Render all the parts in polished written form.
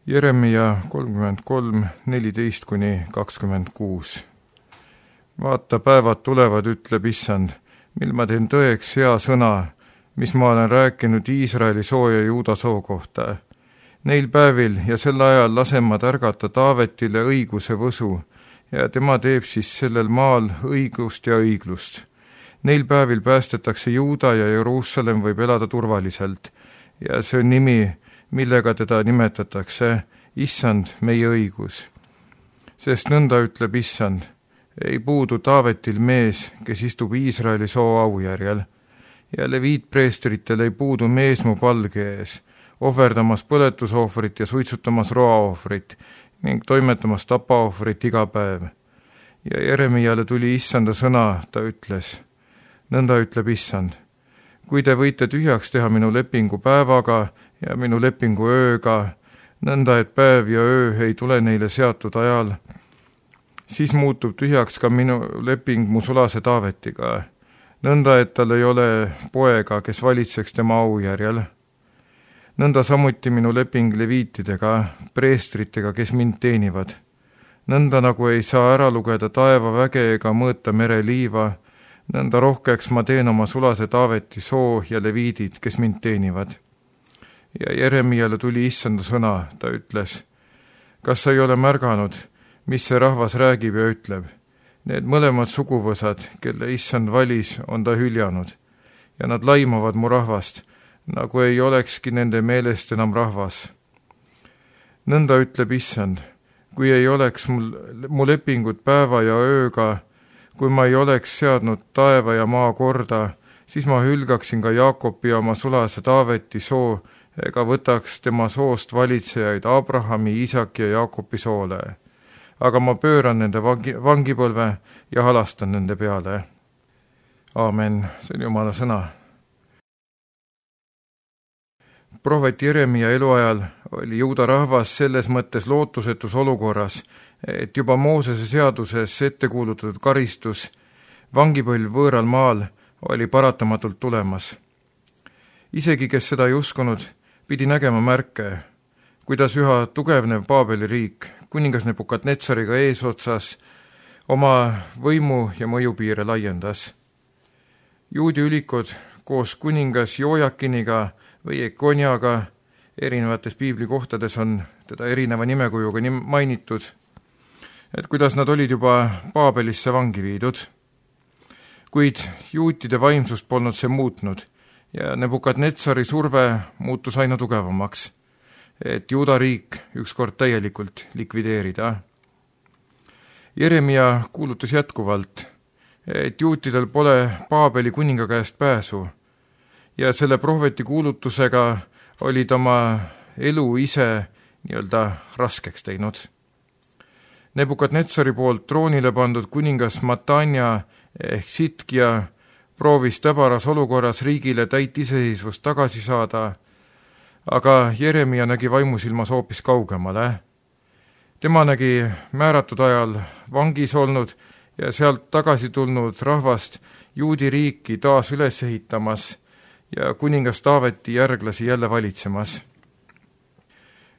Jeremia 33:14-26. Vaata, päevad tulevad, ütleb Issand, mil ma teen tõeks hea sõna, mis ma olen rääkinud Iisraeli soo ja Juuda soo kohta. Neil päevil ja sel ajal lasen ma tärgata Taavetile õiguse võsu ja tema teeb siis sellel maal õigust ja õiglust. Neil päevil päästetakse Juuda ja Jeruusalemm võib elada turvaliselt ja see on nimi, millega teda nimetatakse, Issand, meie õigus. Sest nõnda ütleb Issand, ei puudu Taavetil mees, kes istub Iisraeli soo aujärjel, ja leviitpreestritel ei puudu mees mu palge ees, ohverdamas põletusohvrit ja suitsutamas roaohvrit ning toimetamas tapaohvrit iga päev. Ja Jeremiale tuli Issanda sõna, ta ütles, nõnda ütleb Issand, kui te võite tühjaks teha minu lepingu päevaga ja minu lepingu ööga, nõnda et päev ja öö ei tule neile seatud ajal, siis muutub tühjaks ka minu leping mu sulase Taavetiga, nõnda et tal ei ole poega, kes valitseks tema aujärjel. Nõnda samuti minu leping leviitidega, preestritega, kes mind teenivad. Nõnda nagu ei saa ära lugeda taevaväge ega mõõta mereliiva, nõnda rohkeks ma teen oma sulase Taaveti soo ja leviidid, kes mind teenivad. Ja Jeremiale tuli Issanda sõna, ta ütles, kas sa ei ole märganud, mis see rahvas räägib ja ütleb? Need mõlemad suguvõsad, kelle Issand valis, on ta hüljanud ja nad laimavad mu rahvast, nagu ei olekski nende meelest enam rahvas. Nõnda ütleb Issand, kui ei oleks mu lepingut päeva ja ööga, kui ma ei oleks seadnud taeva ja maa korda, siis ma hülgaksin ka Jaakobi oma sulase Taaveti soo ega võtaks tema soost valitsejaid Abrahami, Iisaki ja Jaakobi soole. Aga ma pööran nende vangipõlve ja halastan nende peale. Aamen, see on Jumala sõna. Prohvet Jeremia eluajal oli Juuda rahvas selles mõttes lootusetus olukorras, et juba Moosese seaduses ette kuulutatud karistus, vangipõlv võõral maal, oli paratamatult tulemas. Isegi, kes seda ei uskunud, pidi nägema märke, kuidas üha tugevnev Paabeli riik, kuningas Nebukadnetsariga eesotsas, oma võimu ja mõjupiire laiendas. Juudi ülikud koos kuningas Jojakiniga või Ekoniaga, erinevates piiblikohtades on teda erineva nimekujuga mainitud, et kuidas nad olid juba Paabelisse vangi viidud. Kuid juutide vaimsust polnud see muutnud ja Nebukadnetsari surve muutus aina tugevamaks, et Juuda riik ükskord täielikult likvideerida. Jeremia kuulutas jätkuvalt, et juutidel pole Paabeli kuninga käest pääsu ja selle prohveti kuulutusega olid oma elu ise nii-öelda raskeks teinud. Nebukadnetsari poolt troonile pandud kuningas Matanja ehk Sitkia proovis täbaras olukorras riigile täit iseseisvust tagasi saada, aga Jeremia nägi vaimusilmas hoopis kaugemale. Tema nägi määratud ajal vangis olnud ja sealt tagasi tulnud rahvast juudi riiki taas üles ehitamas ja kuningas Taaveti järglasi jälle valitsemas.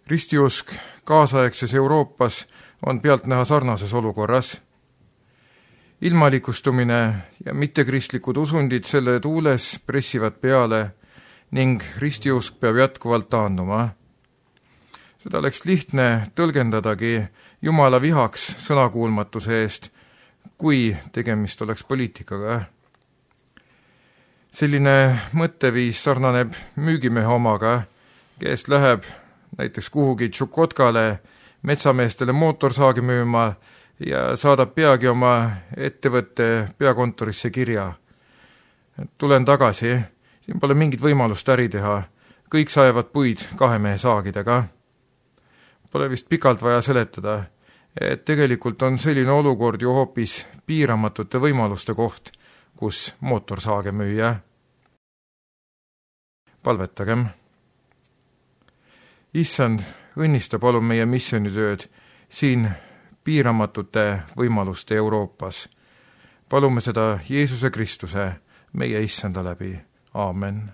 Ristiusk kaasaegses Euroopas on pealtnäha sarnases olukorras. Ilmalikustumine ja mittekristlikud usundid selle tuules pressivad peale ning ristiusk peab jätkuvalt taanduma. Seda oleks lihtne tõlgendadagi Jumala vihaks sõnakuulmatuse eest, kui tegemist oleks poliitikaga. Selline mõtteviis sarnaneb müügimehe omaga, kes läheb näiteks kuhugi Tšukotkale metsameestele mootorsaagi müüma ja saadab peagi oma ettevõtte peakontorisse kirja. Tulen tagasi, siin pole mingit võimalust äri teha, kõik saevad puid 2 mehe saagidega. Pole vist pikalt vaja seletada, et tegelikult on selline olukord ju hoopis piiramatute võimaluste koht, kus mootorsaage müüa. Palvetagem. Issand, õnnista palun meie missioonitööd siin piiramatute võimaluste Euroopas. Palume seda Jeesuse Kristuse, meie Issanda läbi. Aamen.